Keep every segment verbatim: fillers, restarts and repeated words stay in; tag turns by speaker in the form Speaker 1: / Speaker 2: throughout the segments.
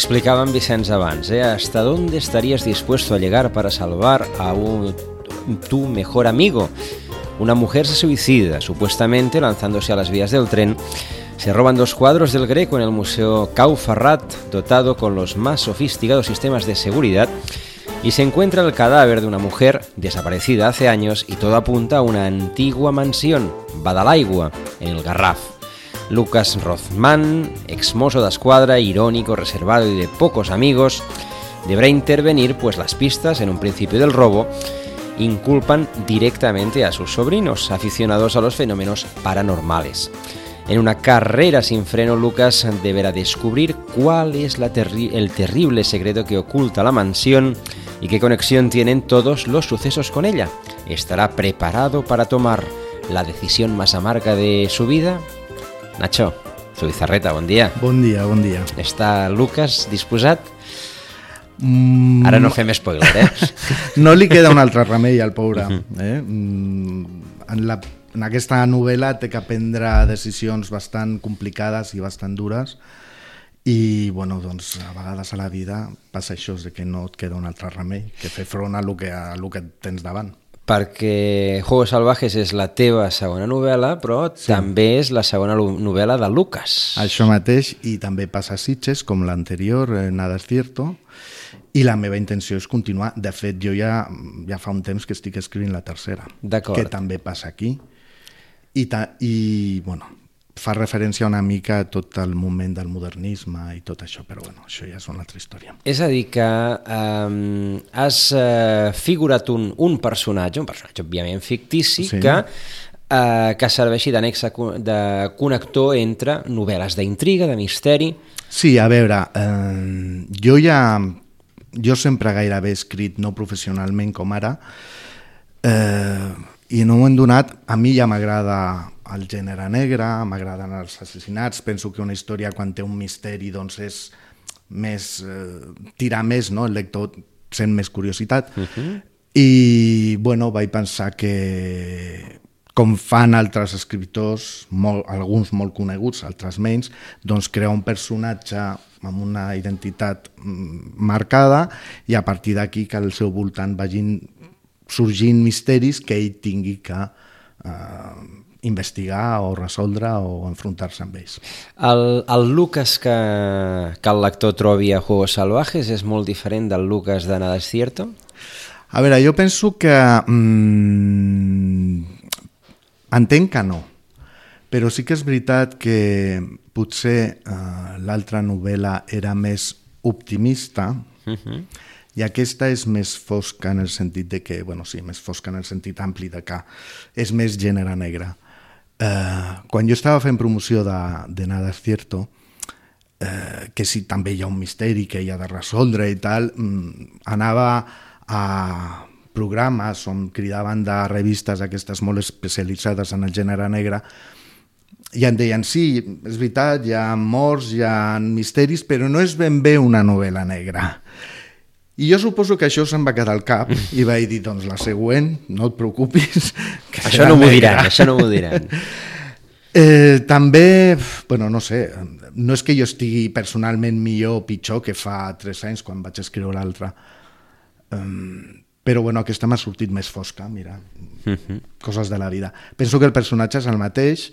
Speaker 1: explicaba en Vicenç abans, ¿eh? ¿Hasta dónde estarías dispuesto a llegar para salvar a un, tu mejor amigo? Una mujer se suicida, supuestamente lanzándose a las vías del tren. Se roban dos cuadros del Greco en el Museo Cau Ferrat, dotado con los más sofisticados sistemas de seguridad, y se encuentra el cadáver de una mujer desaparecida hace años y todo apunta a una antigua mansión, Badalaigua, en el Garraf. Lucas Rothman, exmozo d'esquadra, irónico, reservado y de pocos amigos, deberá intervenir, pues las pistas en un principio del robo inculpan directamente a sus sobrinos, aficionados a los fenómenos paranormales. En una carrera sin freno, Lucas deberá descubrir cuál es la terri- el terrible secreto que oculta la mansión y qué conexión tienen todos los sucesos con ella. ¿Estará preparado para tomar la decisión más amarga de su vida? Nacho, Zubizarreta, bon dia.
Speaker 2: Bon dia, bon dia.
Speaker 1: Està Lucas disposat?
Speaker 2: Mm,
Speaker 1: Ara no fem spoiler, eh?
Speaker 2: No li queda un altre remei al pobre. Eh? Mm, en, la, en aquesta novel·la té que prendre decisions bastant complicades i bastant dures i, bueno, doncs, a vegades a la vida passa això, de que no et queda un altre remei que fer front a lo que, a lo que tens davant.
Speaker 1: Perquè Juegos Salvajes és la teva segona novel·la, però sí, també és la segona novel·la de Lucas.
Speaker 2: Això mateix, i també passa a Sitges, com l'anterior, eh, Nada es cierto, i la meva intenció és continuar. De fet, jo ja, ja fa un temps que estic escrivint la tercera, que també passa aquí, i, ta, i bueno, fa referència una mica a tot el moment del modernisme i tot això, però bueno, això ja és una altra història.
Speaker 1: És a dir que um, has uh, figurat un, un personatge, un personatge òbviament fictici, sí, que, uh, que serveixi d'annex de connector entre novel·les d'intriga, de misteri.
Speaker 2: Sí, a veure, eh, jo ja... Jo sempre gairebé he escrit no professionalment com ara, eh, i en un moment donat a mi ja m'agrada el gènere negre, m'agraden els assassinats, penso que una història quan té un misteri doncs és més, eh, tirar més, no? El lector sent més curiositat, uh-huh. I bueno, vaig pensar que com fan altres escriptors, molt, alguns molt coneguts, altres menys, doncs crear un personatge amb una identitat marcada i a partir d'aquí que al seu voltant vagin sorgint misteris que ell tingui que eh, investigar o resoldre o enfrontar-se amb ells.
Speaker 1: El, el Lucas que, que el lector trobi a Juegos Salvajes és molt diferent del Lucas de Nada es cierto?
Speaker 2: A veure, jo penso que... Mm, entenc que no, però sí que és veritat que potser eh, l'altra novel·la era més optimista, uh-huh. I aquesta és més fosca en el sentit de que, bueno, sí, més fosca en el sentit ampli de que és més gènere negre. Eh, quan jo estava fent promoció de, de Nada es cierto, eh, que sí, també hi ha un misteri que hi ha de resoldre i tal, mm, anava a programes on cridaven de revistes aquestes molt especialitzades en el gènere negre i em deien, sí, és veritat, hi ha morts, hi ha misteris, però no és ben bé una novel·la negra. I jo suposo que això se'm va quedar al cap i vaig dir, doncs la següent, no et preocupis, que
Speaker 1: això no m'ho diran, això no m'ho diran.
Speaker 2: Eh, també, bueno, no sé, no és que jo estigui personalment millor o pitjor que fa tres anys quan vaig escriure l'altra, um, però bueno, aquesta m'ha sortit més fosca, mira, uh-huh. Coses de la vida. Penso que el personatge és el mateix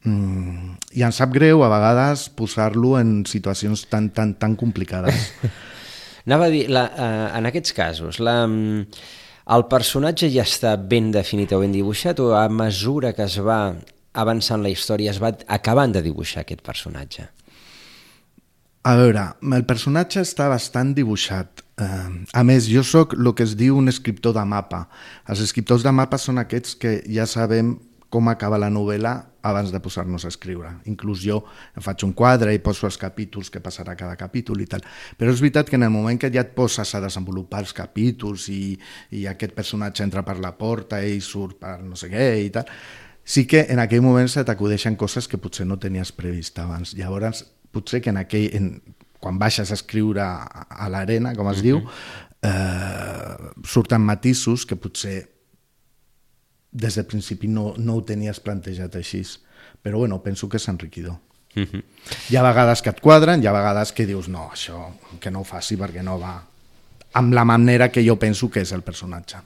Speaker 2: mm, i em sap greu a vegades posar-lo en situacions tan, tan, tan complicades.
Speaker 1: Anava a dir, la, uh, en aquests casos, la, el personatge ja està ben definit o ben dibuixat o a mesura que es va avançant la història es va acabant de dibuixar aquest personatge?
Speaker 2: A veure, el personatge està bastant dibuixat. A més, jo sóc el que es diu un escriptor de mapa. Els escriptors de mapa són aquests que ja sabem com acaba la novel·la abans de posar-nos a escriure. Inclús jo em faig un quadre i poso els capítols que passarà cada capítol i tal. Però és veritat que en el moment que ja et poses a desenvolupar els capítols i, i aquest personatge entra per la porta i surt per no sé què i tal, sí que en aquell moment se t'acudeixen coses que potser no tenies previst abans. Llavors, potser que en aquell, en, quan baixes a escriure a, a l'arena, com es uh-huh. diu, eh, surten matisos que potser des del principi no, no ho tenies plantejat així. Però bueno, penso que és enriquidor. Uh-huh. Hi ha vegades que et quadren, hi ha vegades que dius no, això que no ho faci perquè no va amb la manera que jo penso que és el personatge.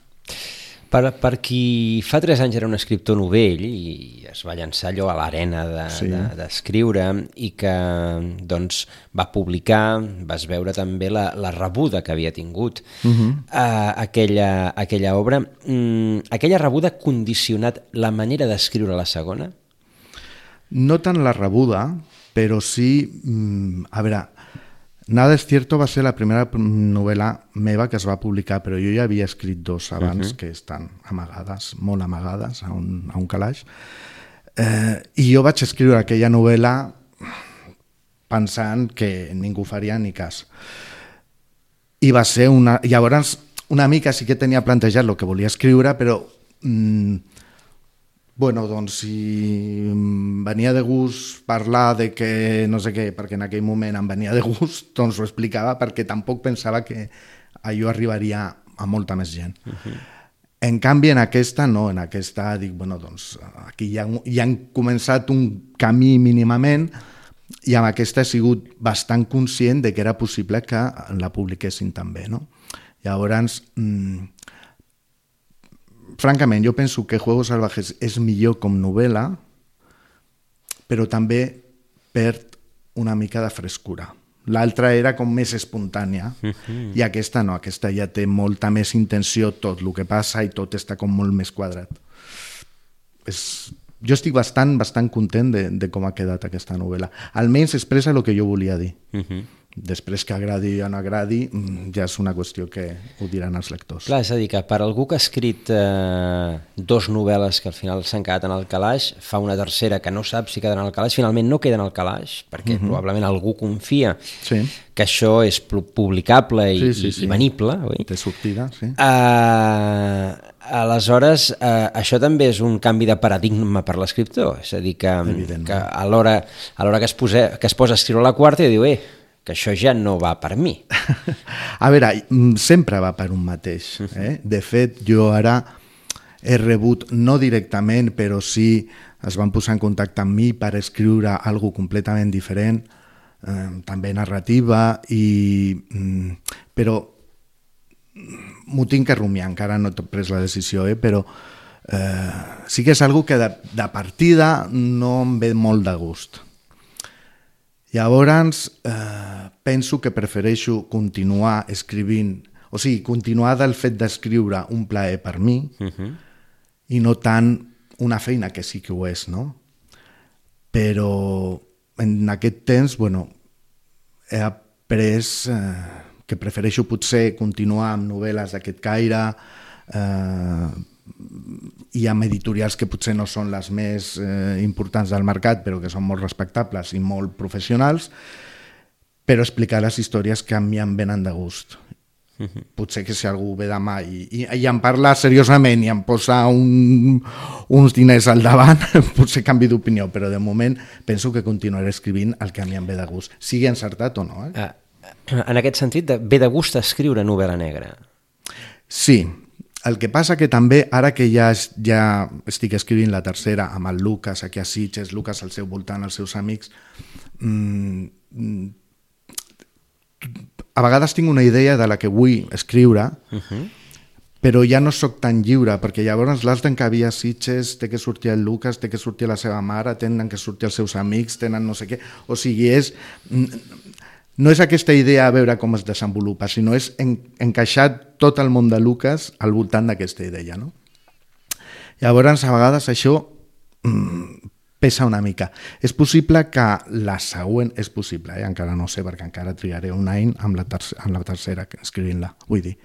Speaker 1: Per, per qui fa tres anys era un escriptor novell i es va llançar allò a l'arena d'escriure de, de, i que doncs, va publicar, vas veure també la, la rebuda que havia tingut uh-huh. uh, aquella, aquella obra. Mm, aquella rebuda ha condicionat la manera d'escriure la segona?
Speaker 2: No tant la rebuda, però sí... Mm, a veure... Nada es cierto va ser la primera novel·la meva que es va publicar, però jo ja havia escrit dos abans uh-huh. que estan amagades, molt amagades, a un, a un calaix. Eh, I jo vaig escriure aquella novel·la pensant que ningú faria ni cas. I va ser una... Llavors, una mica sí que tenia plantejat el que volia escriure, però... Mm, bueno, doncs si em venia de gust parlar de que no sé què, perquè en aquell moment em venia de gust, doncs ho explicava perquè tampoc pensava que allò arribaria a molta més gent. Uh-huh. En canvi, en aquesta no, en aquesta dic, bueno, doncs aquí ja, ja han començat un camí mínimament i amb aquesta he sigut bastant conscient de que era possible que la publiquessin també, no? Llavors... Mm, francament, jo penso que Juegos Salvajes és millor com novel·la, però també perd una mica de frescura. L'altra era com més espontània uh-huh. i aquesta no, aquesta ja té molta més intenció tot el que passa i tot està com molt més quadrat. És... Jo estic bastant, bastant content de, de com ha quedat aquesta novel·la. Almenys expressa el que jo volia dir. Uh-huh. Després que agradi o no agradi, ja és una qüestió que ho diran els lectors.
Speaker 1: Clar, és a dir, que per algú que ha escrit eh, dos novel·les que al final s'han quedat en el calaix, fa una tercera que no sap si quedarà en el calaix, finalment no queda en el calaix, perquè uh-huh. probablement algú confia sí. que això és publicable i, sí, sí, sí. i venible. Oi?
Speaker 2: Té sortida, sí.
Speaker 1: Uh, aleshores, uh, això també és un canvi de paradigma per l'escriptor, és a dir, que, que a l'hora a l'hora que, es posa, que es posa a escriure la quarta i diu, eh, que això ja no va per mi.
Speaker 2: A veure, sempre va per un mateix. Eh? De fet, jo ara he rebut, no directament, però sí es van posar en contacte amb mi per escriure alguna completament diferent, eh, també narrativa, i, però m'ho tinc que rumiar, encara no he pres la decisió, eh? Però eh, sí que és algo que de, de partida no em ve molt de gust. Llavors, eh, penso que prefereixo continuar escrivint, o sigui, continuar del fet d'escriure un plaer per mi uh-huh. i no tant una feina que sí que ho és, no? Però en aquest temps, bueno, he après eh, que prefereixo potser continuar amb novel·les d'aquest caire, eh, i amb editorials que potser no són les més eh, importants del mercat, però que són molt respectables i molt professionals, però explicar les històries que a mi em venen de gust. Uh-huh. Potser que si algú ve demà i, i, i em parla seriosament i em posa un, uns diners al davant, potser canvi d'opinió, però de moment penso que continuaré escrivint el que a mi em ve de gust, sigui encertat o no. Eh?
Speaker 1: Uh, en aquest sentit, de, ve de gust escriure novel·la negra?
Speaker 2: Sí. El que passa que també, ara que ja, ja estic escrivint la tercera amb el Lucas aquí a Sitges, Lucas al seu voltant, els seus amics, mmm, a vegades tinc una idea de la que vull escriure, uh-huh. però ja no sóc tan lliure, perquè llavors l'has d'encabir a Sitges, té que sortir el Lucas, té que sortir la seva mare, tenen que sortir els seus amics, tenen no sé què, o sigui, és... No és aquesta idea a veure com es desenvolupa, sinó és en, encaixar tot el món de Lucas al voltant d'aquesta idea, no? Llavors, a vegades això mm, pesa una mica. És possible que la següent... És possible, eh? Encara no sé, perquè encara triaré un any amb la, terce, amb la tercera escrivint-la, vull dir.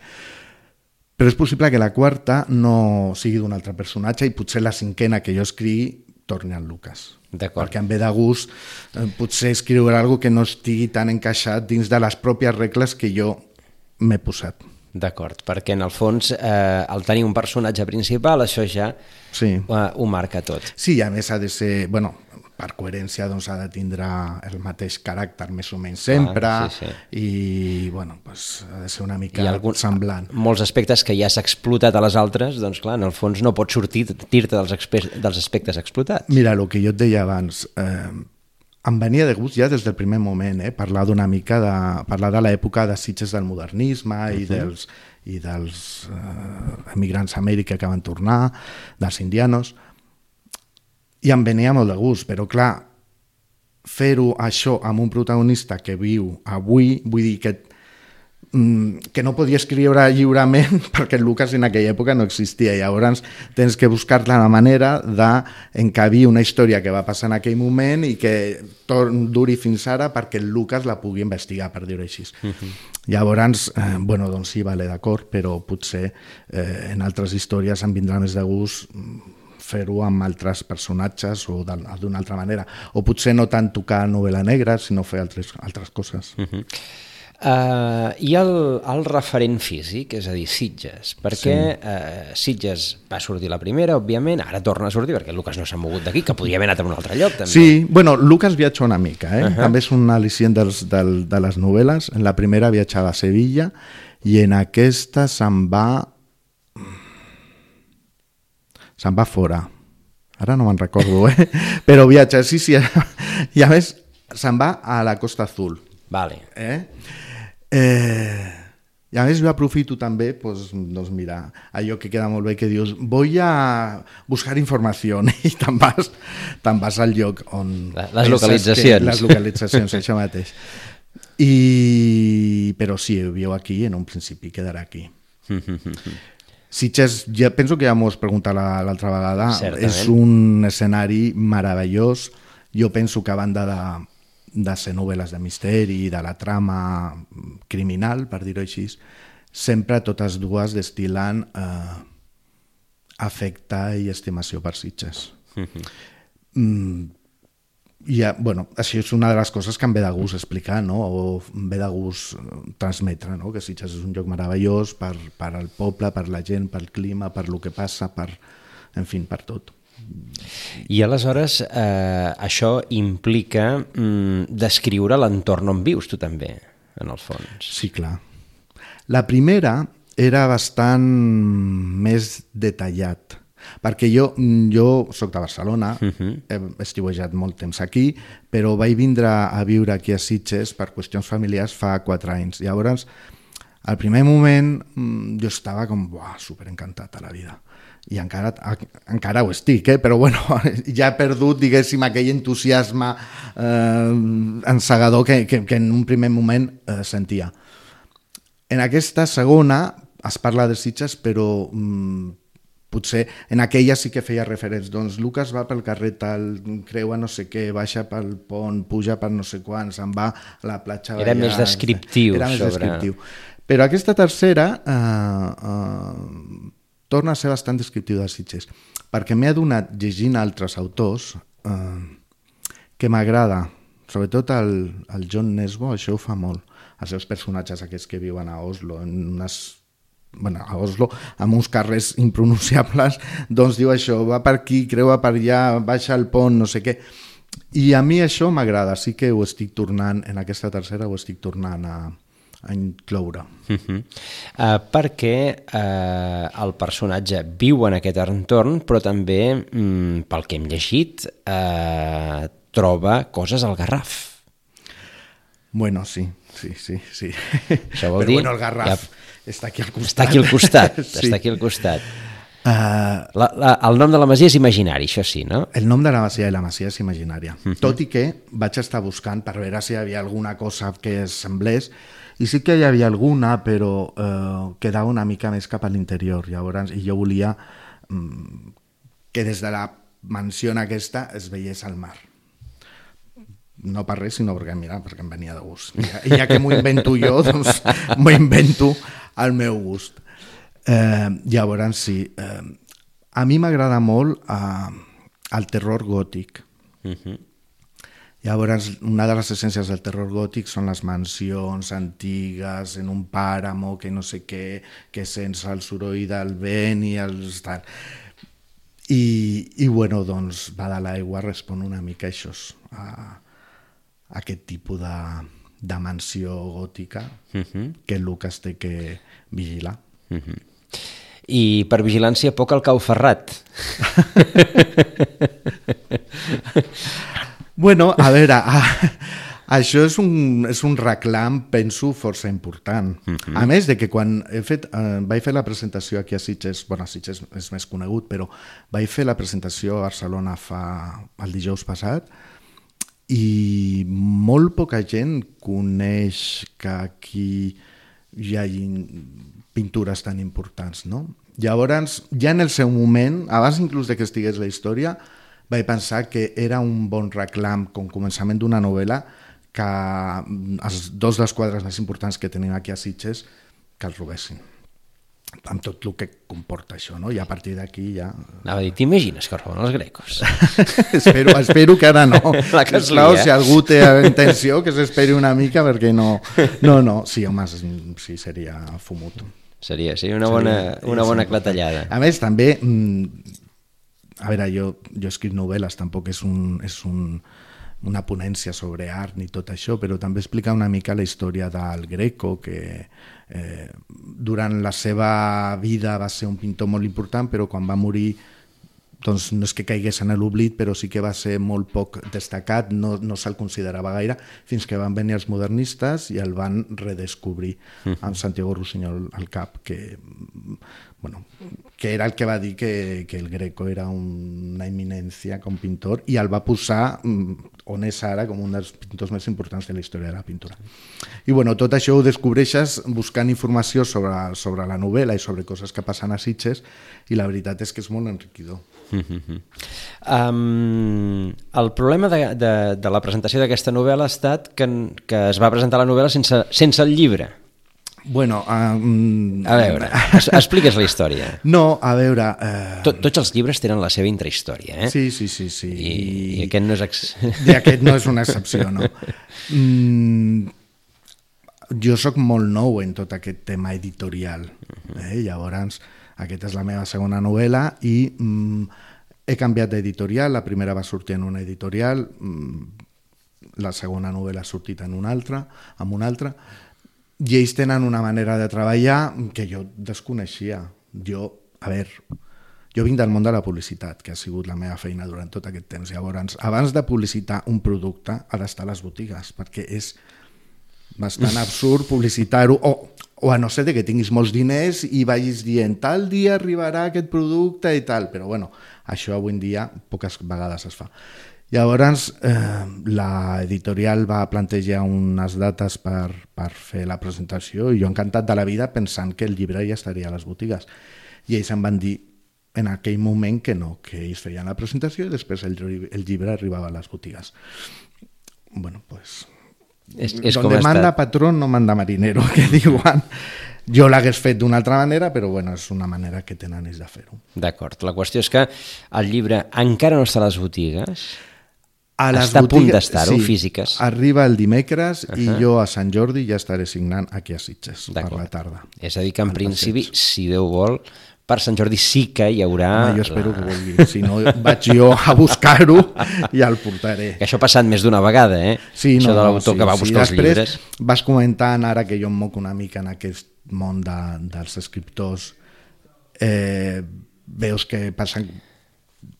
Speaker 2: Però és possible que la quarta no sigui d'un altre personatge i potser la cinquena que jo escrigui torni al Lucas. Perquè em ve de gust eh, potser escriure alguna que no estigui tan encaixat dins de les pròpies regles que jo m'he posat.
Speaker 1: D'acord, perquè en el fons eh, al tenir un personatge principal això ja sí. eh, ho marca tot.
Speaker 2: Sí, i a més ha de ser, bueno, per coherència doncs ha de tindre el mateix caràcter més o menys sempre ah, sí, sí. i bueno, pues, ha de ser una mica algun, semblant.
Speaker 1: Molts aspectes que ja s'ha explotat a les altres, doncs clar, en el fons no pots sortir, dir-te dels, dels aspectes explotats.
Speaker 2: Mira, el que jo et deia abans, eh, em venia de gust ja des del primer moment, eh? parlar d'una mica de, parlar de l'època de Sitges del modernisme uh-huh. i dels, i dels uh, emigrants a Amèrica que van tornar, dels indianos, i em venia molt de gust, però clar, fer-ho això amb un protagonista que viu avui, vull dir que que no podia escriure lliurement perquè el Lucas en aquella època no existia, i llavors tens que buscar la manera d'encabir una història que va passar en aquell moment i que duri fins ara perquè el Lucas la pugui investigar, per dir-ho així. Uh-huh. Llavors, eh, bueno, doncs sí, vale, d'acord, però potser eh, en altres històries em vindrà més de gust fer-ho amb altres personatges o d'una altra manera, o potser no tant tocar novel·la negra, sinó fer altres, altres coses. Uh-huh.
Speaker 1: Uh, I el, el referent físic, és a dir, Sitges, perquè sí. uh, Sitges va sortir la primera, òbviament, ara torna a sortir perquè el Lucas no s'ha mogut d'aquí, que podria haver anat a un altre lloc també.
Speaker 2: Sí, bueno, Lucas viatja una mica, eh? Uh-huh. També és un al·licient dels, del, de les novel·les. En la primera viatjava a Sevilla i en aquesta se'n va se'n va fora, ara no me'n recordo, eh? Però viatja, sí, sí, i a més se'n va a la Costa Azul.
Speaker 1: Vale.
Speaker 2: Eh? Eh, i a més jo aprofito també, pues, doncs mira, allò que queda molt bé que dius, voy a buscar informació i te'n vas, te'n vas al lloc on...
Speaker 1: Les localitzacions.
Speaker 2: Que, les localitzacions, això mateix. I... Però sí, viu aquí, en un principi quedarà aquí. Sitges, ja penso que ja m'ho has preguntat l'altra vegada, certament. És un escenari meravellós. Jo penso que a banda de de ser novel·les de misteri i de la trama criminal, per dir-ho així, sempre totes dues destil·lant eh, afecte i estimació per Sitges. Uh-huh. Mm, i, bueno, això és una de les coses que em ve de gust explicar, no? O em ve de gust transmetre, no? Que Sitges és un lloc meravellós per, per al poble, per la gent, pel clima, per lo que passa, per, en fi, per tot.
Speaker 1: I aleshores eh, això implica mm, descriure l'entorn on vius tu també, en el fons.
Speaker 2: Sí, clar. La primera era bastant més detallat, perquè jo, jo soc de Barcelona, uh-huh. he estiuejat molt temps aquí, però vaig vindre a viure aquí a Sitges per qüestions familiars fa quatre anys. Llavors, al primer moment, jo estava com, buah, superencantat a la vida. I encara, encara ho estic, eh? Però bueno, ja he perdut, diguéssim, aquell entusiasme eh, encegador que, que, que en un primer moment eh, sentia. En aquesta segona es parla de Sitges, però mm, potser en aquella sí que feia referents. Doncs Lucas va pel carrer tal, creua no sé què, baixa pel pont, puja per no sé quan, se'n va a la platja.
Speaker 1: Era més descriptiu.
Speaker 2: Era més
Speaker 1: sobre...
Speaker 2: descriptiu. Però aquesta tercera... Eh, eh, torna a ser bastant descriptiu de Sitges, perquè m'he adonat, llegint altres autors, eh, que m'agrada, sobretot el, el John Nesbo, això ho fa molt, els seus personatges aquests que viuen a Oslo, en unes, bueno, a Oslo, amb uns carrers impronunciables, doncs diu això, va per aquí, creua per allà, baixa el pont, no sé què. I a mi això m'agrada, sí que ho estic tornant, en aquesta tercera ho estic tornant a... a incloure.
Speaker 1: Uh-huh. Uh, perquè uh, el personatge viu en aquest entorn, però també, um, pel que hem llegit, uh, troba coses al Garraf.
Speaker 2: Bueno, sí, sí, sí. sí.
Speaker 1: Això vol
Speaker 2: però
Speaker 1: dir...
Speaker 2: bueno, el Garraf ja... està aquí al costat.
Speaker 1: Està aquí al costat,
Speaker 2: sí.
Speaker 1: està aquí al costat.
Speaker 2: Uh,
Speaker 1: la, la, el nom de la masia és imaginari, això sí, no?
Speaker 2: El nom de la masia i la masia és imaginària. Uh-huh. Tot i que vaig estar buscant per veure si hi havia alguna cosa que es semblés, i sí que hi havia alguna, però eh, quedava una mica més cap a l'interior. Llavors, i jo volia mm, que des de la mansió aquesta es veiés al mar. No per res, sinó perquè, mira, perquè em venia de gust. I ja, i ja que m'ho invento jo, doncs m'ho invento al meu gust. Eh, llavors, sí. Eh, a mi m'agrada molt eh, el terror gòtic. Uh-huh. Llavors, una de les essències del terror gòtic són les mansions antigues en un pàramo, que no sé què, que sents el soroll del vent i els... I, i bueno, doncs, va de l'aigua respon una mica això, a, a aquest tipus de, de mansió gòtica uh-huh. que Lucas té que vigilar.
Speaker 1: Uh-huh. I per vigilància poc al cau ferrat.
Speaker 2: Bueno, a veure, a, això és un, és un reclam, penso, força important. Uh-huh. A més de que quan he fet, eh, vaig fer la presentació aquí a Sitges, bueno, a Sitges és més conegut, però vaig fer la presentació a Barcelona fa el dijous passat i molt poca gent coneix que aquí hi ha pintures tan importants, no? Llavors, ja en el seu moment, abans inclús de que estigués la història, vaig pensar que era un bon reclam com començament d'una novel·la que els dos dels quadres més importants que tenim aquí a Sitges que els robessin, amb tot el que comporta això, no? I a partir d'aquí ja...
Speaker 1: Anava a dir, t'imagines que roben els grecos?
Speaker 2: espero, espero que ara no.
Speaker 1: Que
Speaker 2: Esclar,
Speaker 1: sí, eh?
Speaker 2: si algú té intenció, que s'esperi una mica, perquè no... No, no, sí, home, sí, seria fumut.
Speaker 1: Seria, seria una bona, una bona clatellada.
Speaker 2: A més, també... A veure, jo, jo escric novel·les, tampoc és un... És un una ponència sobre art ni tot això, però també explica una mica la història del Greco, que eh, durant la seva vida va ser un pintor molt important, però quan va morir doncs no és que caigués en l'oblit, però sí que va ser molt poc destacat, no, no se'l considerava gaire, fins que van venir els modernistes i el van redescobrir amb Santiago Rusiñol al cap, que, bueno, que era el que va dir que, que el Greco era una eminència com pintor i el va posar on és ara com un dels pintors més importants de la història de la pintura. I bueno, tot això ho descobreixes buscant informació sobre, sobre la novel·la i sobre coses que passen a Sitges i la veritat és que és molt enriquidor.
Speaker 1: Uh-huh. Um, el problema de, de, de la presentació d'aquesta novel·la ha estat que, que es va presentar la novel·la sense, sense el llibre.
Speaker 2: Bueno, um...
Speaker 1: a veure, expliques la història.
Speaker 2: No, a veure... Uh...
Speaker 1: Tot, tots els llibres tenen la seva intrahistòria, eh?
Speaker 2: Sí, sí, sí. sí.
Speaker 1: I, i aquest no és... Ex...
Speaker 2: I aquest no és una excepció, no. Mm, jo sóc molt nou en tot aquest tema editorial. Eh? Llavors, aquesta és la meva segona novel·la i mm, he canviat d'editorial. La primera va sortir en una editorial, mm, la segona novel·la ha sortit en una altra, amb una altra, i ells tenen una manera de treballar que jo desconeixia. Jo, a veure, jo vinc del món de la publicitat, que ha sigut la meva feina durant tot aquest temps. Llavors, abans de publicitar un producte, ha d'estar a les botigues, perquè és bastant absurd publicitar-ho, o, o a no ser que tinguis molts diners i vagis dient tal dia arribarà aquest producte i tal, però bueno, això avui en dia poques vegades es fa. Llavors, eh, l'editorial va plantejar unes dates per, per fer la presentació i jo encantat de la vida pensant que el llibre ja estaria a les botigues. I ells em van dir en aquell moment que no, que ells feien la presentació i després el, el llibre arribava a les botigues. Bueno, pues...
Speaker 1: És, és
Speaker 2: donde manda patrón no manda marinero, que diuen. Jo l'hagués fet d'una altra manera, però bueno, és una manera que tenen ells de fer-ho.
Speaker 1: D'acord. La qüestió és que el llibre encara no està a les botigues...
Speaker 2: A les
Speaker 1: està
Speaker 2: botigues,
Speaker 1: a punt d'estar-ho,
Speaker 2: sí,
Speaker 1: físiques.
Speaker 2: Arriba el dimecres uh-huh. i jo a Sant Jordi ja estaré signant aquí a Sitges per la tarda.
Speaker 1: És a dir que en principi, si Déu vol, per Sant Jordi sí que hi haurà...
Speaker 2: Home, jo espero la... que vulgui, si no vaig jo a buscar-ho i el portaré.
Speaker 1: Que això ha passat més d'una vegada, eh?
Speaker 2: Sí, no,
Speaker 1: això de l'autor
Speaker 2: sí,
Speaker 1: que va buscar
Speaker 2: sí.
Speaker 1: els llibres.
Speaker 2: Després vas comentant, ara que jo em moc una mica en aquest món de, dels escriptors, eh, veus que passen...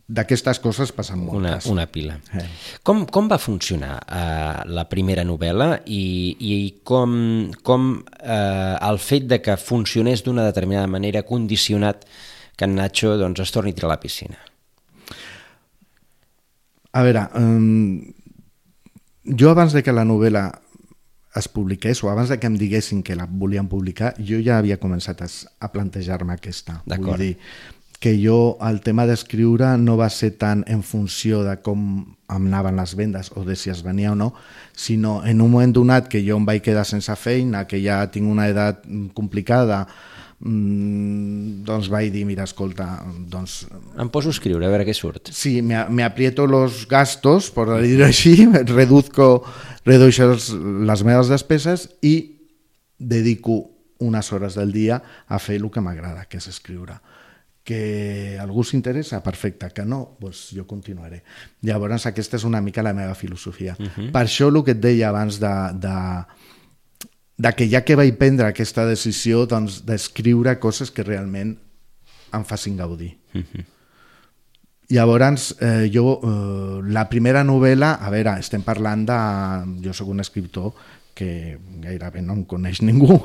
Speaker 2: D'aquestes coses passen moltes.
Speaker 1: Una, una pila.
Speaker 2: Eh.
Speaker 1: Com, com va funcionar uh, la primera novel·la i, i com, com uh, el fet de que funcionés d'una determinada manera ha condicionat que en Nacho doncs, es torni a tirar a la piscina?
Speaker 2: A veure, um, jo abans de que la novel·la es publiqués o abans de que em diguessin que la volien publicar, jo ja havia començat a, a plantejar-me aquesta.
Speaker 1: D'acord.
Speaker 2: Vull dir, que jo el tema d'escriure no va ser tant en funció de com em anaven les vendes o de si es venia o no, sinó en un moment donat que jo em vaig quedar sense feina, que ja tinc una edat complicada, mmm, doncs vaig dir, mira, escolta, doncs...
Speaker 1: Em poso a escriure, a veure què surt.
Speaker 2: Sí, me, me aprieto los gastos, por dir-ho així, reduzco, redueixo les meves despeses i dedico unes hores del dia a fer el que m'agrada, que és escriure. Que algú s'interessa, perfecte, que no, doncs jo continuaré. Llavors aquesta és una mica la meva filosofia. Uh-huh. Per això el que et deia abans de, de, de que ja que vaig prendre aquesta decisió doncs, d'escriure coses que realment em facin gaudir. Uh-huh. Llavors, eh, jo, eh, la primera novel·la, a veure, estem parlant de... Jo sóc un escriptor que gairebé no em coneix ningú,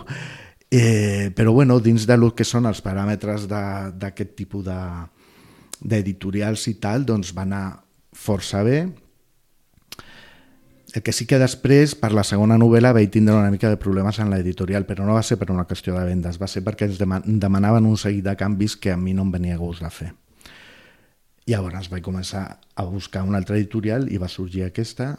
Speaker 2: eh, però bueno, dins de lo que són els paràmetres d'aquest tipus de, d'editorials i tal, doncs va anar força bé. El que sí que després, per la segona novel·la, vaig tindre una mica de problemes en l'editorial, però no va ser per una qüestió de vendes, va ser perquè ens demanaven un seguit de canvis que a mi no em venia gust de fer. Llavors vaig començar a buscar una altra editorial i va sorgir aquesta,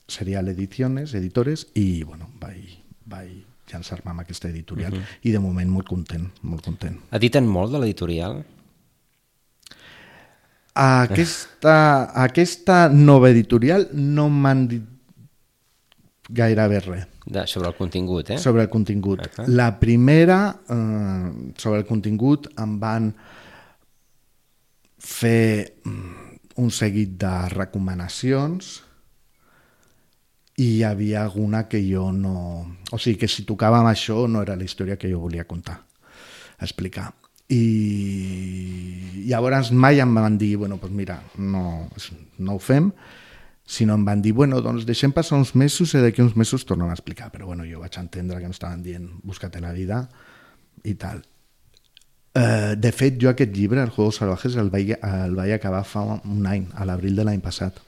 Speaker 2: Serial Ediciones, editores, i bueno, vaig, vaig llançar-me amb aquesta editorial. Uh -huh. I de moment molt content, molt content.
Speaker 1: Editen molt de l'editorial?
Speaker 2: Aquesta, aquesta nova editorial no m'han dit gairebé res.
Speaker 1: De, sobre el contingut, eh?
Speaker 2: Sobre el contingut.
Speaker 1: Uh -huh.
Speaker 2: La primera, eh, sobre el contingut, em van fer un seguit de recomanacions i hi havia alguna que jo no... O sigui, que si tocava amb això no era la història que jo volia contar, explicar. I llavors mai em van dir, bueno, doncs mira, no, no ho fem, sinó em van dir, bueno, doncs deixem passar uns mesos i d'aquí uns mesos tornem a explicar. Però bueno, jo vaig entendre que em estaven dient busca-te la vida i tal. Uh, de fet, jo aquest llibre, El Juegos Salvajes, el vaig, el vaig acabar fa un any, a l'abril de l'any passat.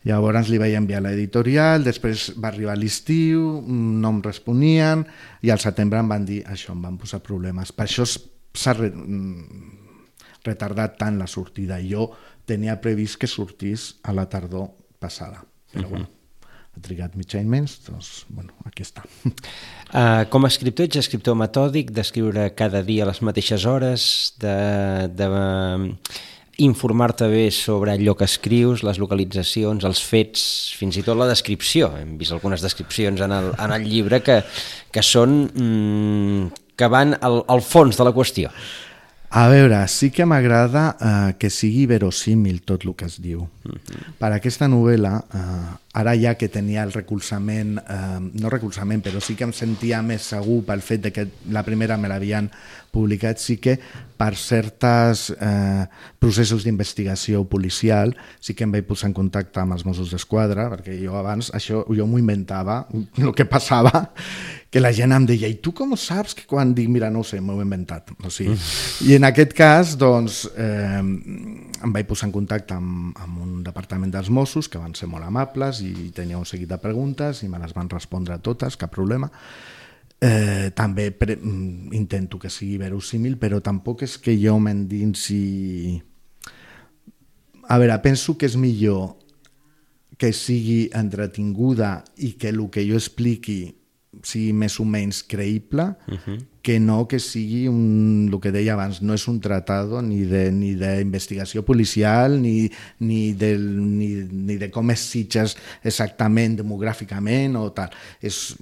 Speaker 2: Llavors li vaig enviar a l'editorial, després va arribar l'estiu, no em responien, i al setembre em van dir això, em van posar problemes. Per això s'ha re, retardat tant la sortida. Jo tenia previst que sortís a la tardor passada, però uh-huh. bueno, ha trigat mig any menys, doncs, bueno, aquí està.
Speaker 1: Uh, com a escriptor, ets escriptor metòdic, d'escriure cada dia a les mateixes hores, de, de uh, informar-te bé sobre allò que escrius, les localitzacions, els fets, fins i tot la descripció. Hem vist algunes descripcions en el, en el llibre que, que són mm, que van al, al fons de la qüestió.
Speaker 2: A veure, sí que m'agrada eh, que sigui verosímil tot el que es diu. Uh-huh. Per aquesta novel·la, eh, ara ja que tenia el recolzament, eh, no recolzament, però sí que em sentia més segur pel fet de que la primera me l'havien publicat, sí que per certs eh, processos d'investigació policial sí que em vaig posar en contacte amb els Mossos d'Esquadra, perquè jo abans això jo m'ho inventava, el que passava, que la gent em deia, i tu com saps que quan dic, mira, no ho sé, m'ho he inventat. O sigui, mm. I en aquest cas, doncs, eh, em vaig posar en contacte amb, amb un departament dels Mossos, que van ser molt amables i tenia un seguit de preguntes i me les van respondre totes, cap problema. Eh, també pre intento que sigui verosímil, però tampoc és que jo m'endinsi... A veure, penso que és millor que sigui entretinguda i que el que jo expliqui sigui més o menys creïble, uh-huh. que no que sigui un, el que deia abans, no és un tratado ni de ni d'investigació policial ni, ni, del, ni, ni de com es Sitges exactament demogràficament o tal. És,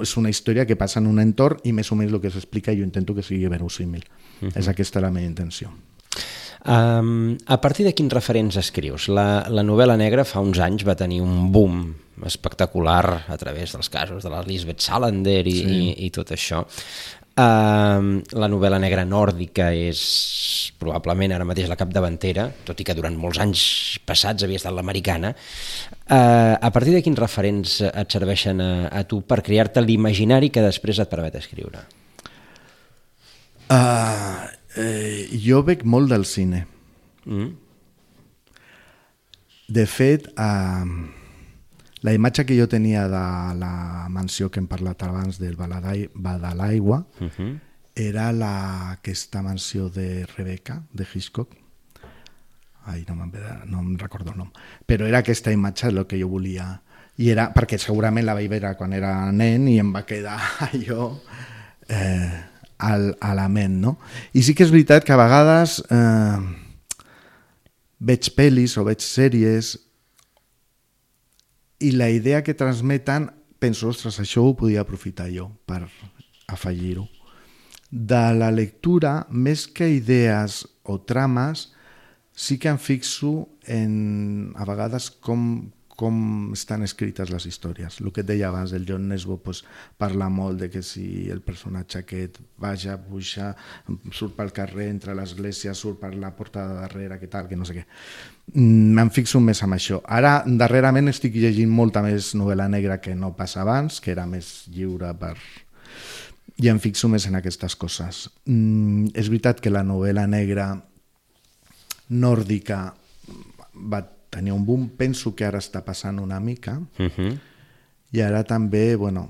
Speaker 2: és una història que passa en un entorn i més o menys el que s'explica jo intento que sigui verosímil. Uh-huh. És aquesta la meva intenció.
Speaker 1: Um, a partir de quins referents escrius? La, la novel·la negra fa uns anys va tenir un boom espectacular a través dels casos de la Lisbeth Salander i, sí. i, i tot això. Uh, la novel·la negra nòrdica és probablement ara mateix la capdavantera, tot i que durant molts anys passats havia estat l'americana. Uh, a partir de quins referents et serveixen a, a tu per crear-te l'imaginari que després et permet escriure?
Speaker 2: Uh, eh, jo bec molt del cine. Mm. De fet, uh, la imatge que jo tenia de la mansió que hem parlat abans del Badalaigua uh-huh. era la, aquesta mansió de Rebecca, de Hitchcock. Ai, no, no em recordo el nom. Però era aquesta imatge el que jo volia. I era, perquè segurament la vaig veure quan era nen i em va quedar allò eh, al, a la ment, no? I sí que és veritat que a vegades eh, veig pel·lis o veig sèries i la idea que transmeten, penso, ostres, això ho podia aprofitar jo per afegir-ho. De la lectura, més que idees o trames, sí que em fixo en, a vegades, com, com estan escrites les històries. El que et deia abans, el John Nesbo pues, parla molt de que si el personatge aquest vaja, puja, surt pel carrer, entra a l'església, surt per la porta de darrere, que tal, que no sé què. Me'n fixo més amb això. Ara, darrerament, estic llegint molta més novel·la negra que no pas abans, que era més lliure per... i em fixo més en aquestes coses. Mm, és veritat que la novel·la negra nòrdica va tenir un boom, penso que ara està passant una mica, uh-huh. i ara també, bueno,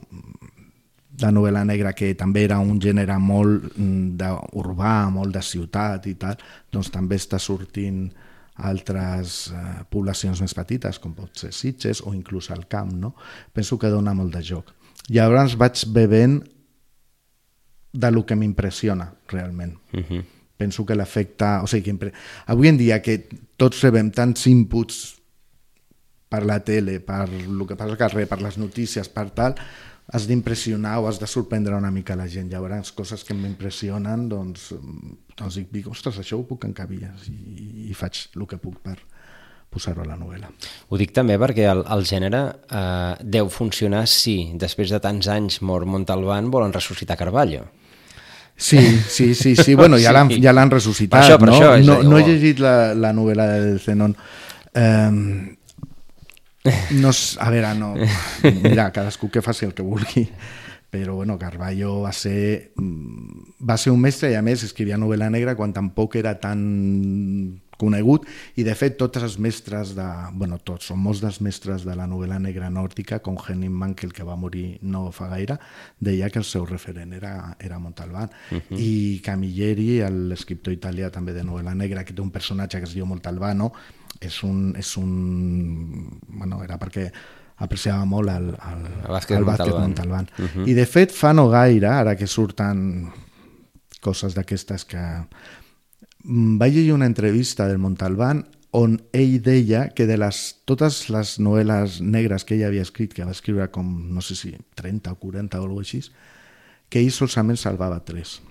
Speaker 2: la novel·la negra, que també era un gènere molt urbà, molt de ciutat i tal, doncs també està sortint altres eh, poblacions més petites, com pot ser Sitges o inclús al camp, no? Penso que dona molt de joc. Llavors vaig bevent de lo que m'impressiona realment. Uh-huh. Penso que l'efecte... O sigui, que impre... avui en dia que tots rebem tants inputs per la tele, per el que passa al carrer, per les notícies, per tal, has d'impressionar o has de sorprendre una mica la gent. Llavors, coses que m'impressionen, doncs, doncs dic, ostres, això ho puc encabir i, i faig el que puc per posar-ho a la novel·la.
Speaker 1: Ho dic també perquè el, el gènere eh, deu funcionar si després de tants anys mort Montalbán volen ressuscitar Carballo.
Speaker 2: Sí, sí, sí, sí. Bueno, ja l'han, ja l'han ressuscitat,
Speaker 1: per això, per
Speaker 2: no?
Speaker 1: Això,
Speaker 2: no,
Speaker 1: dir,
Speaker 2: no
Speaker 1: oh.
Speaker 2: he llegit la, la novel·la del Zenon. Um, no, a veure, no... Mira, cadascú que faci el que vulgui. Però, bueno, Carballo va ser, va ser un mestre i, a més, escrivia novel·la negra quan tampoc era tan conegut, i de fet tots els mestres de, bueno, tots, són molts dels mestres de la novel·la negra nòrdica, com Henning Mankell, que va morir no fa gaire, deia que el seu referent era, era Montalbán. Uh-huh. I Camilleri, l'escriptor italià també de novel·la negra, que té un personatge que es diu Montalbano, és un... És un bueno, era perquè apreciava molt el, el, el bàsquet Montalbán. Montalbán. Uh-huh. I de fet fa no gaire, ara que surten coses d'aquestes que... Vaig llegir una entrevista del Montalbán on ell deia que de les, totes les novel·les negres que ell havia escrit, que va escriure com, no sé si trenta o quaranta o alguna cosa així, que ell solament salvava tres.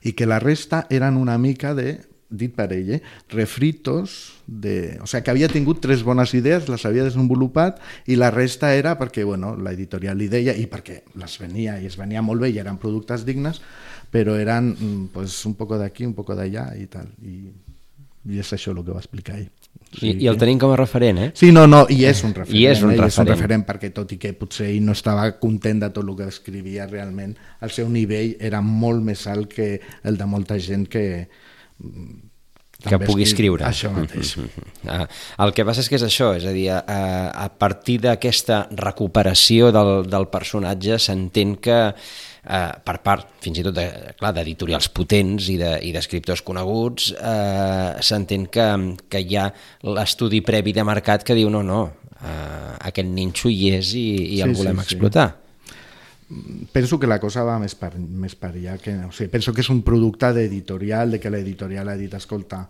Speaker 2: I que la resta eren una mica de, dit per ell, eh, refritos, de, o sigui, que havia tingut tres bones idees, les havia desenvolupat, i la resta era perquè, bueno, l'editorial li deia, i perquè les venia, i es venia molt bé, i eren productes dignes, però eren pues, un poco d'aquí, un poco d'allà i tal. I, i és això el que va explicar ell. O sigui,
Speaker 1: I, I el tenim com a referent, eh?
Speaker 2: Sí, no, no, i és un referent.
Speaker 1: I és un,
Speaker 2: eh?
Speaker 1: referent.
Speaker 2: És un referent perquè tot i que potser ell no estava content de tot el que escrivia realment, el seu nivell era molt més alt que el de molta gent que...
Speaker 1: que pugui escriure.
Speaker 2: Això mateix.
Speaker 1: Ah, el que passa és que és això, és a dir, a, a partir d'aquesta recuperació del, del personatge s'entén que eh, per part, fins i tot, de, clar, d'editorials potents i d'escriptors de, coneguts, eh, s'entén que, que hi ha l'estudi previ de mercat que diu no, no, eh, aquest ninxo hi és i, i el sí, volem sí, explotar. Sí.
Speaker 2: Penso que la cosa va més per, més per allà. Que, o sigui, penso que és un producte d'editorial, de que l'editorial ha dit, escolta,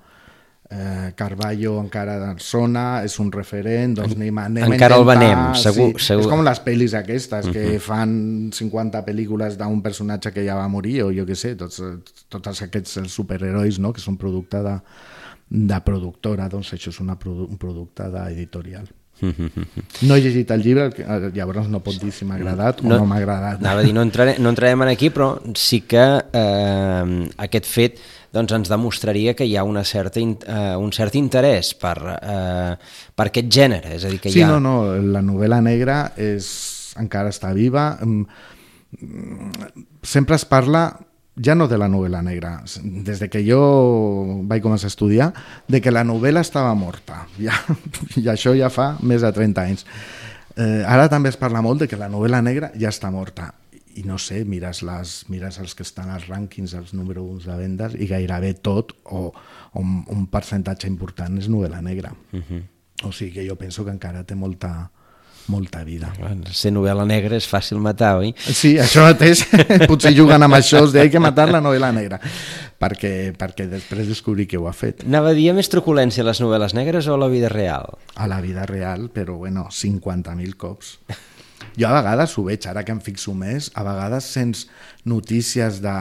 Speaker 2: eh, Carballo encara sona, és un referent, doncs anem, anem
Speaker 1: encara a intentar... Encara el venem, segur,
Speaker 2: sí,
Speaker 1: segur.
Speaker 2: És com les pel·lis aquestes, uh-huh. que fan cinquanta pel·lícules d'un personatge que ja va morir, o jo què sé, tots, tots aquests superherois, no?, que són producte de, de productora, doncs això és una, un producte d'editorial. No he llegit el llibre, llavors no pot dir si m'ha agradat o no, no m'ha agradat.
Speaker 1: Anava a dir, no, entrare, no entrarem aquí, però sí que eh, aquest fet doncs, ens demostraria que hi ha una certa, eh, un cert interès per, eh, per aquest gènere. És a dir, que
Speaker 2: sí,
Speaker 1: hi ha...
Speaker 2: no, no, la novel·la negra és, encara està viva. Sempre es parla... ja no de la novel·la negra, des de que jo vaig començar a estudiar, de que la novel·la estava morta. Ja, i això ja fa més de trenta anys. Eh, ara també es parla molt de que la novel·la negra ja està morta. I no sé, mires, les, mires els que estan als rànquings, els número uns de vendes, i gairebé tot, o, o un, un percentatge important, és novel·la negra. Uh-huh. O sigui que jo penso que encara té molta... molta vida.
Speaker 1: Ser novel·la negra és fàcil matar, oi?
Speaker 2: Sí, això mateix, potser juguen amb això, es deia que matar la novel·la negra, perquè, perquè després descobrir que ho ha fet.
Speaker 1: Anava a dir, més truculència a les novel·les negres o a la vida real?
Speaker 2: A la vida real, però bueno, cinquanta mil cops. Jo a vegades ho veig, ara que em fixo més, a vegades sents notícies de,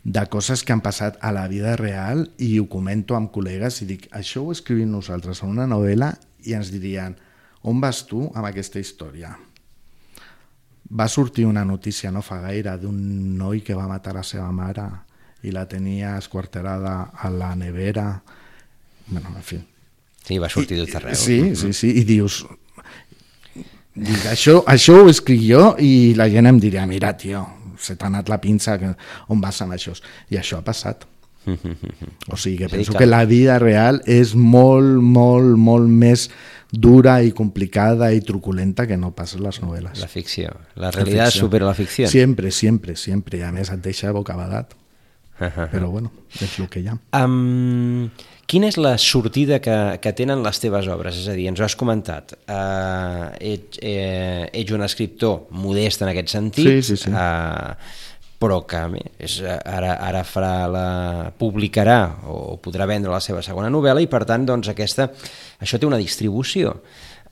Speaker 2: de coses que han passat a la vida real i ho comento amb col·legues i dic, això ho escrivim nosaltres en una novel·la i ens dirien on vas tu amb aquesta història? Va sortir una notícia no fa gaire d'un noi que va matar la seva mare i la tenia esquarterada a la nevera. Bueno, en fi.
Speaker 1: Sí, va sortir tot arreu.
Speaker 2: Sí, sí, sí, i dius... Dic, això, això ho escric jo i la gent em diria, mira, tio, se t'ha anat la pinça, on vas amb això? I això ha passat. O sigui que penso que la vida real és molt, molt, molt més dura i complicada i truculenta que no pas les novel·les.
Speaker 1: La ficció. La realitat supera la ficció.
Speaker 2: Sempre, sempre, sempre. I a més et deixa bocabadat. Però bueno, és el que hi ha.
Speaker 1: Um, quina és la sortida que, que tenen les teves obres? És a dir, ens ho has comentat. Uh, ets, eh, ets un escriptor modest en aquest sentit,
Speaker 2: sí, sí, sí.
Speaker 1: Uh, però que és, ara, ara farà la, publicarà o podrà vendre la seva segona novel·la i per tant doncs, aquesta, això té una distribució.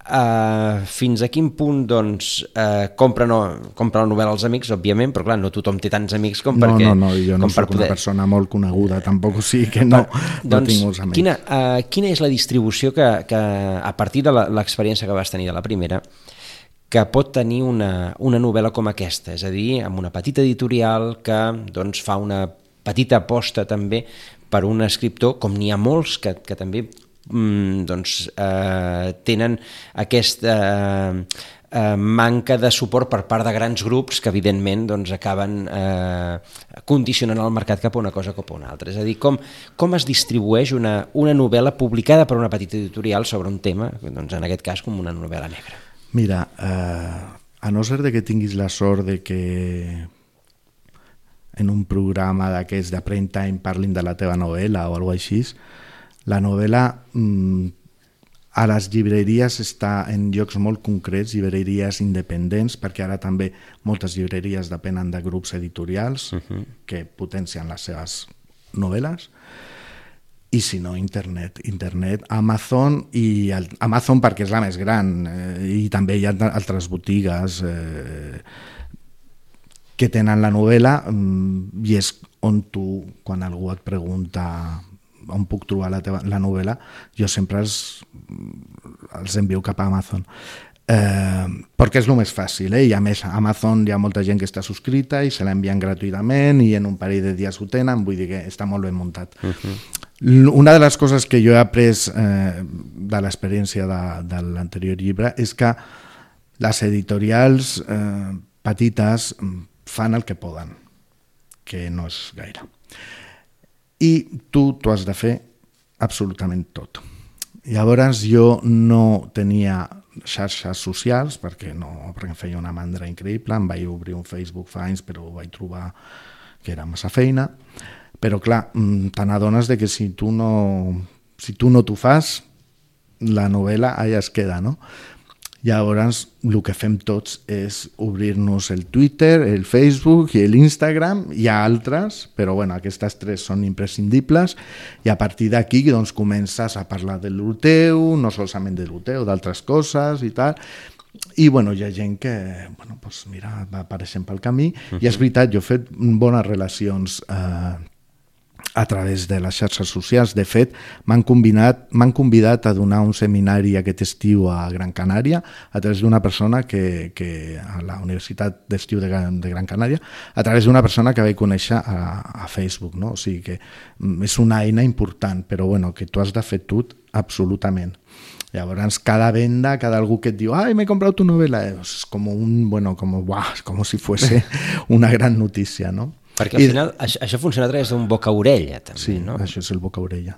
Speaker 1: Uh, fins a quin punt doncs, uh, compra, no, compra la novel·la als amics, òbviament, però clar, no tothom té tants amics com
Speaker 2: no,
Speaker 1: perquè...
Speaker 2: No, no, jo no soc poder... una persona molt coneguda, tampoc, o sigui que no,
Speaker 1: però,
Speaker 2: no
Speaker 1: doncs,
Speaker 2: tinc molts amics.
Speaker 1: Quina, uh, quina és la distribució que, que a partir de l'experiència que vas tenir de la primera, que pot tenir una, una novel·la com aquesta, és a dir, amb una petita editorial que doncs, fa una petita aposta també per un escriptor, com n'hi ha molts que, que també mm, doncs, eh, tenen aquesta eh, eh, manca de suport per part de grans grups que evidentment doncs, acaben eh, condicionant el mercat cap a una cosa cap a una altra. És a dir, com, com es distribueix una, una novel·la publicada per una petita editorial sobre un tema, doncs, en aquest cas com una novel·la negra?
Speaker 2: Mira, eh, a no ser de que tinguis la sort de que en un programa d'aquests de prime time parlin de la teva novel·la o alguna cosa així, la novel·la mm, a les llibreries està en llocs molt concrets, llibreries independents, perquè ara també moltes llibreries depenen de grups editorials uh-huh. que potencien les seves novel·les. I si no, internet, internet, Amazon, i el, Amazon perquè és la més gran, eh, i també hi ha altres botigues eh, que tenen la novel·la, mm, i és on tu, quan algú et pregunta on puc trobar la, teva, la novel·la, jo sempre els, els envio cap a Amazon. Eh, perquè és el més fàcil, eh? I a més a Amazon hi ha molta gent que està subscrita i se l'envien gratuïtament i en un parell de dies ho tenen, vull dir que està molt ben muntat. Uh-huh. Una de les coses que jo he après eh, de l'experiència de, de l'anterior llibre és que les editorials eh, petites fan el que poden, que no és gaire. I tu t'ho has de fer absolutament tot. Llavors jo no tenia xarxes socials perquè no, perquè em feia una mandra increïble, em vaig obrir un Facebook fa anys però ho vaig trobar que era massa feina, però clar, te n'adones de que si tu no si tu no t'ho fas, la novel·la allà es queda, no? Llavors, el que fem tots és obrir-nos el Twitter, el Facebook i l'Instagram. Hi ha altres, però bueno, aquestes tres són imprescindibles i a partir d'aquí doncs, comences a parlar de lo teu, no solament de lo teu, d'altres coses i tal. I bueno, hi ha gent que bueno, doncs, mira, va apareixent pel camí. Uh-huh. I és veritat, jo he fet bones relacions eh, a través de les xarxes socials. De fet, m'han convidat, m'han convidat a donar un seminari aquest estiu a Gran Canària a través d'una persona que, que a la Universitat d'Estiu de, de Gran Canària, a través d'una persona que vaig conèixer a, a Facebook, no? O sigui que és una eina important, però bueno, que tu has de fer tot absolutament. Llavors, cada venda, cada algú que et diu «Ai, m'he comprat tu novel·la», és com un, bueno, com, uah, com si fuese una gran notícia, no?
Speaker 1: Perquè al I... final això, això funciona a través d'un boca-orella, també,
Speaker 2: sí,
Speaker 1: no?
Speaker 2: Sí, això és el boca-orella.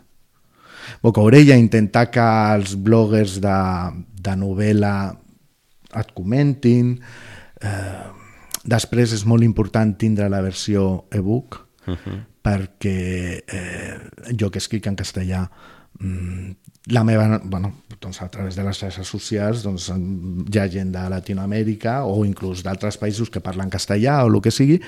Speaker 2: Boca-orella, intentar que els bloggers de, de novel·la et comentin. Eh, després és molt important tindre la versió e-book, uh-huh. perquè eh, jo que escric en castellà, la meva, bueno, doncs a través de les xarxes socials doncs, hi ha gent de Latinoamèrica o inclús d'altres països que parlen castellà o el que sigui,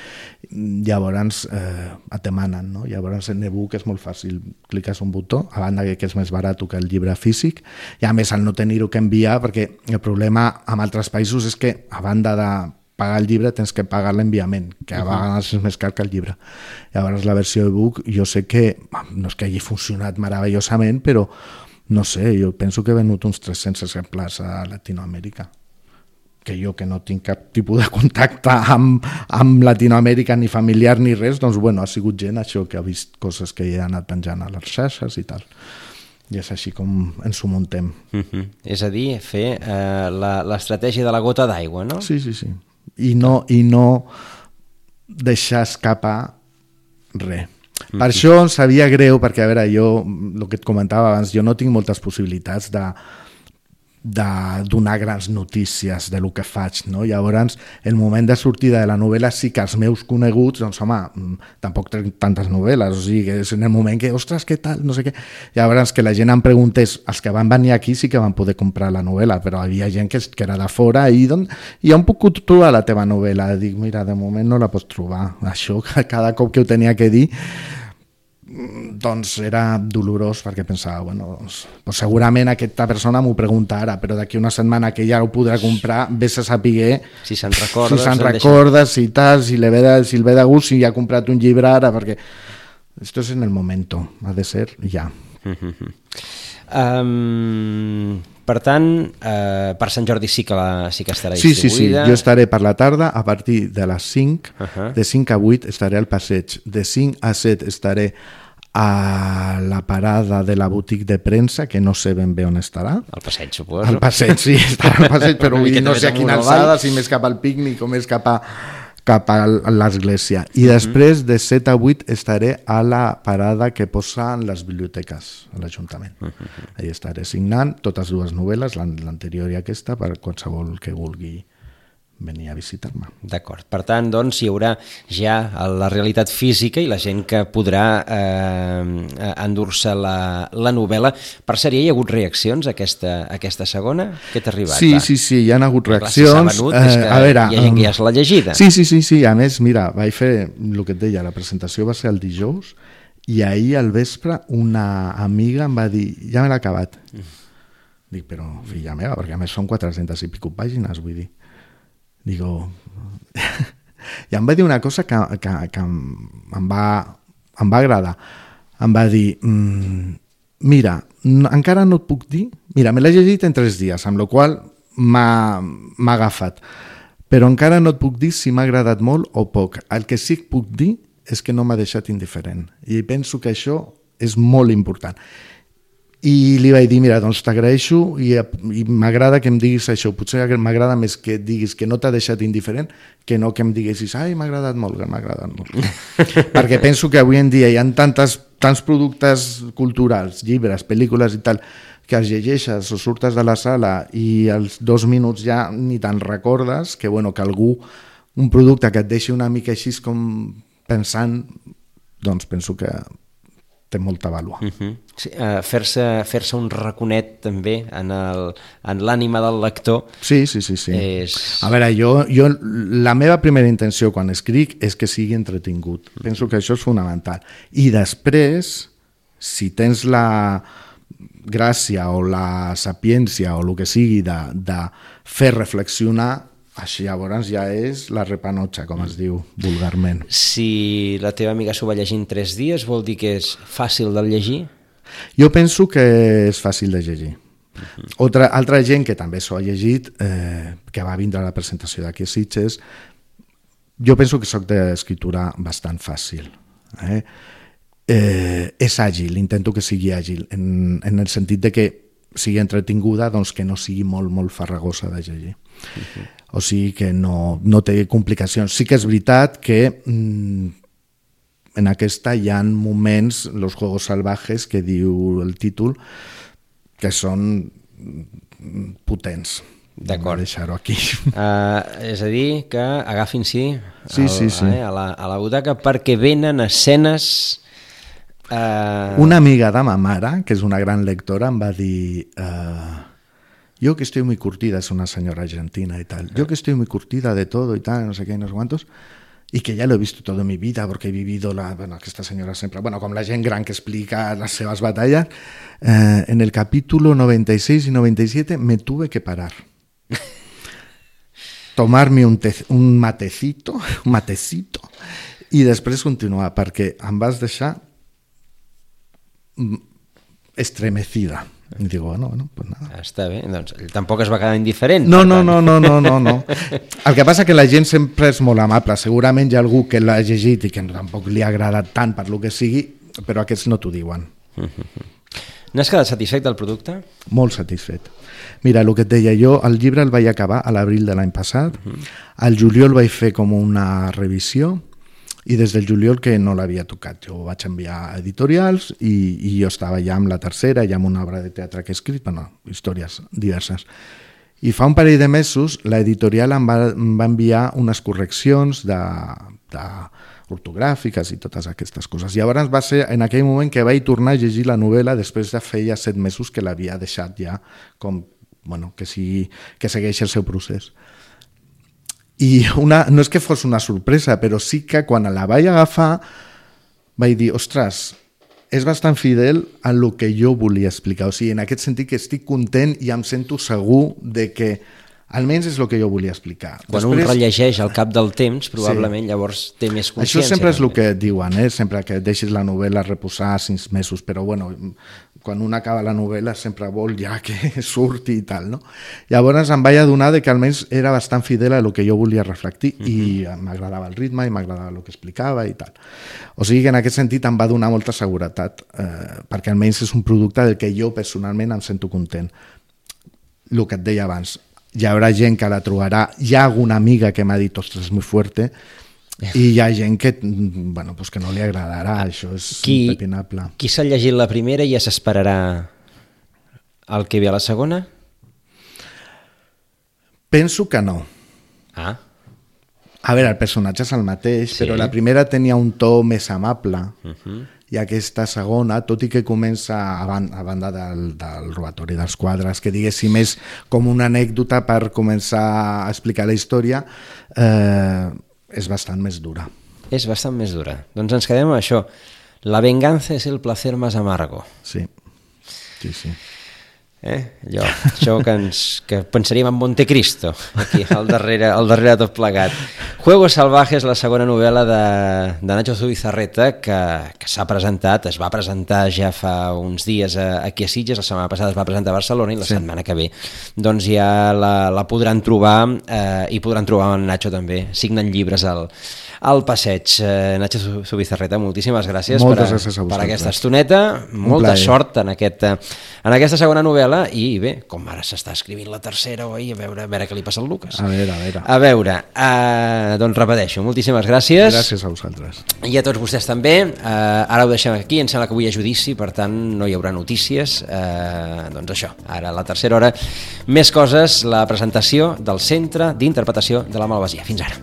Speaker 2: llavors eh, et demanen, no? Llavors en e-book és molt fàcil, cliques un botó, a banda que és més barat que el llibre físic, i a més al no tenir-ho que enviar, perquè el problema amb altres països és que a banda de pagar el llibre tens que pagar l'enviament, que a vegades és més car que el llibre. Llavors la versió e-book jo sé que no és que hagi funcionat meravellosament, però no sé, jo penso que he venut uns tres-cents exemplars a Latinoamèrica, que jo que no tinc cap tipus de contacte amb, amb Latinoamèrica ni familiar ni res, doncs bueno, ha sigut gent això que ha vist coses que he anat penjant a les xarxes i tal. I és així com ens ho muntem.
Speaker 1: Uh-huh. És a dir, fer eh, l'estratègia de la gota d'aigua, no?
Speaker 2: Sí, sí, sí. I no, i no deixar escapar res. Uh-huh. Per això em sabia greu, perquè a veure, jo, el que et comentava abans, jo no tinc moltes possibilitats de de donar grans notícies de lo que faig, no? Llavors, el moment de sortida de la novel·la sí que els meus coneguts, doncs home, tampoc tenc tantes novel·les, o sigui, que és en el moment que, ostres, què tal, no sé què. Llavors, que la gent em preguntés, els que van venir aquí sí que van poder comprar la novel·la, però hi havia gent que, que era de fora i doncs, i on puc trobar la teva novel·la? Dic, mira, de moment no la pots trobar. Això, cada cop que ho tenia que dir, doncs era dolorós perquè pensava, bueno, doncs, doncs segurament aquesta persona m'ho pregunta ara, però d'aquí una setmana que ja ho podrà comprar, vés a saber
Speaker 1: si se'n recorda,
Speaker 2: si se'n recorda, si tal, si li ve de, si ve de gust, si ja ha comprat un llibre ara, perquè esto es en el momento, ha de ser ja.
Speaker 1: Uh-huh. Um, per tant, uh, per Sant Jordi sí que, la, sí que estarà distribuïda.
Speaker 2: Sí, sí, sí, jo estaré per la tarda a partir de les cinc, uh-huh. de cinc a vuit estaré al passeig, de cinc a set estaré a la parada de la botiga de premsa, que no sé ben bé on estarà.
Speaker 1: Al passeig, suposo.
Speaker 2: Al passeig, sí, estarà al passeig, però vull dir, no sé a quina alçada, si més cap al pícnic o més cap a, cap a l'església. I uh-huh. després, de set a vuit, estaré a la parada que posa en les biblioteques a l'Ajuntament. Uh-huh. Allà estaré signant totes dues novel·les, l'anterior i aquesta, per qualsevol que vulgui venir a visitar-me.
Speaker 1: D'acord. Per tant, doncs, hi haurà ja la realitat física i la gent que podrà eh, endur-se la, la novel·la. Per cert, hi ha hagut reaccions a aquesta, a aquesta segona? Què t'ha arribat?
Speaker 2: Sí, va? sí, sí, hi ha hagut reaccions.
Speaker 1: Clar, si s'ha venut, és que eh, a veure, hi ha gent que ja se l'ha llegida.
Speaker 2: Sí, sí, sí, sí, a més, mira, vaig fer el que et deia, la presentació va ser el dijous i ahir al vespre una amiga em va dir, ja me l'ha acabat. Mm. Dic, però filla meva, perquè a més són quatre-centes i pico pàgines, vull dir. Digo, i em va dir una cosa que, que, que em, va, em va agradar. Em va dir, mmm, mira, no, encara no et puc dir, mira, me l'he llegit en tres dies, amb la qual m'ha agafat, però encara no et puc dir si m'ha agradat molt o poc. El que sí que puc dir és que no m'ha deixat indiferent, i penso que això és molt important. I li vaig dir, mira, doncs t'agraeixo i, i m'agrada que em diguis això, potser m'agrada més que et diguis que no t'ha deixat indiferent que no que em diguessis, ai, m'ha agradat molt, m'ha agradat molt. Perquè penso que avui en dia hi ha tantes, tants productes culturals, llibres, pel·lícules i tal, que els llegeixes o surtes de la sala i als dos minuts ja ni te'n recordes, que bueno, que algú, un producte que et deixi una mica així com pensant, doncs penso que té molta vàlua.
Speaker 1: Uh-huh. Sí, uh, fer-se fer-se un raconet també en el, en l'ànima del lector.
Speaker 2: Sí, sí, sí, sí.
Speaker 1: És...
Speaker 2: A veure, jo, jo la meva primera intenció quan escric és que sigui entretingut. Uh-huh. Penso que això és fonamental. I després, si tens la gràcia o la sapiència o el que sigui de, de fer reflexionar, així llavors ja és la repanotxa, com es diu vulgarment.
Speaker 1: Si la teva amiga s'ho va llegir en tres dies, vol dir que és fàcil de llegir?
Speaker 2: Jo penso que és fàcil de llegir. Uh-huh. Otra, altra gent que també s'ho ha llegit, eh, que va vindre a la presentació d'aquí a Sitges, jo penso que soc d'escriptura bastant fàcil. Eh? Eh, és àgil, intento que sigui àgil, en, en el sentit de que sigui entretinguda, doncs que no sigui molt, molt farragosa de llegir. Uh-huh. O sigui que no, no té complicacions. Sí que és veritat que mmm, en aquesta hi ha moments, los juegos salvajes, que diu el títol, que són potents.
Speaker 1: D'acord.
Speaker 2: Deixar-ho aquí.
Speaker 1: Uh, és a dir, que agafin-s'hi
Speaker 2: sí, sí, sí.
Speaker 1: eh, a, la, a la butaca perquè venen escenes... Uh...
Speaker 2: Una amiga de ma mare, que és una gran lectora, em va dir... Uh, yo que estoy muy curtida, es una señora argentina y tal, yo que estoy muy curtida de todo y tal, no sé qué, no sé cuántos, y que ya lo he visto todo en mi vida porque he vivido, la, bueno, que esta señora siempre, bueno, com la gent gran que explica las seves batallas, eh, en el capítulo noventa y seis y noventa y siete me tuve que parar. Tomarme un, te, un matecito, un matecito, i després continuar, perquè em vas deixar estremecida. I dic, bueno, bueno, pues nada.
Speaker 1: Està bé, doncs tampoc es va quedar indiferent.
Speaker 2: No, no, no, no, no, no, no. El que passa que la gent sempre és molt amable. Segurament hi ha algú que l'ha llegit i que tampoc li ha agradat tant per lo que sigui, però aquests no t'ho diuen.
Speaker 1: N'has quedat satisfet del producte?
Speaker 2: Molt satisfet. Mira, el que et deia jo, el llibre el vaig acabar a l'abril de l'any passat, al juliol vaig fer com una revisió, i des del juliol que no l'havia tocat. Jo vaig enviar a editorials i, i jo estava ja amb la tercera, ja amb una obra de teatre que he escrit, bueno, històries diverses. I fa un parell de mesos l'editorial em va, em va enviar unes correccions de, de ortogràfiques i totes aquestes coses. I llavors va ser en aquell moment que vaig tornar a llegir la novel·la després de feia set mesos que l'havia deixat ja com, bueno, que, sigui, que segueix el seu procés. I una, no és que fos una sorpresa, però sí que quan la vaig agafar vaig dir, ostres, és bastant fidel a el que jo volia explicar. O sigui, en aquest sentit que estic content i em sento segur de que almenys és el que jo volia explicar.
Speaker 1: Quan
Speaker 2: Després,
Speaker 1: un rellegeix al cap del temps, probablement sí. Llavors té més consciència.
Speaker 2: Això sempre és
Speaker 1: també.
Speaker 2: el que diuen, eh? Sempre que deixis la novel·la reposar sis mesos, però bueno, quan un acaba la novel·la sempre vol ja que surti i tal, no? Llavors em vaig adonar de que almenys era bastant fidel a el que jo volia reflectir uh-huh. i m'agradava el ritme i m'agradava el que explicava i tal. O sigui que en aquest sentit em va donar molta seguretat, eh, perquè almenys és un producte del que jo personalment em sento content. El que et deia abans, hi haurà gent que la trobarà, hi ha alguna amiga que m'ha dit, ostres, és molt fuerte, i hi ha gent que, bueno, pues que no li agradarà, això és qui, impepinable.
Speaker 1: Qui s'ha llegit la primera i ja s'esperarà el que ve a la segona?
Speaker 2: Penso que no.
Speaker 1: Ah.
Speaker 2: A veure, el personatge és el mateix,
Speaker 1: sí.
Speaker 2: Però la primera tenia un to més amable,
Speaker 1: uh-huh.
Speaker 2: i aquesta segona, tot i que comença a, ban a banda del, del robatori dels quadres, que diguéssim és com una anècdota per començar a explicar la història, eh, és bastant més dura.
Speaker 1: És bastant més dura. Doncs ens quedem amb això. La venganza es el placer más amargo.
Speaker 2: Sí, sí, sí.
Speaker 1: Eh? Allò, això que, ens, que pensaríem en Montecristo, aquí, al darrere, al darrere de tot plegat. Juegos Salvajes, la segona novel·la de, de Nacho Zubizarreta, que, que s'ha presentat, es va presentar ja fa uns dies aquí a Sitges, la setmana passada es va presentar a Barcelona i la sí. setmana que ve doncs ja la, la podran trobar eh, i podran trobar en Nacho també, signen llibres al, al passeig. Eh, Nacho Zubizarreta, moltíssimes gràcies,
Speaker 2: Moltes
Speaker 1: per, a,
Speaker 2: gràcies a
Speaker 1: per aquesta estoneta, molta sort en, aquest, en aquesta segona novel·la i bé, com ara s'està escrivint la tercera, oi? A veure, a veure què li passa al Lucas.
Speaker 2: A veure, a veure.
Speaker 1: A veure, uh, doncs repeteixo, moltíssimes gràcies.
Speaker 2: Gràcies a vosaltres.
Speaker 1: I a tots vostès també. Uh, ara ho deixem aquí, em sembla que avui hi ha judici, per tant no hi haurà notícies. Uh, doncs això, ara a la tercera hora, més coses, la presentació del Centre d'Interpretació de la Malvasia. Fins ara.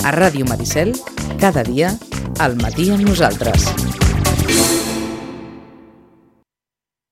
Speaker 3: A Ràdio Maricel, cada dia, al matí amb nosaltres.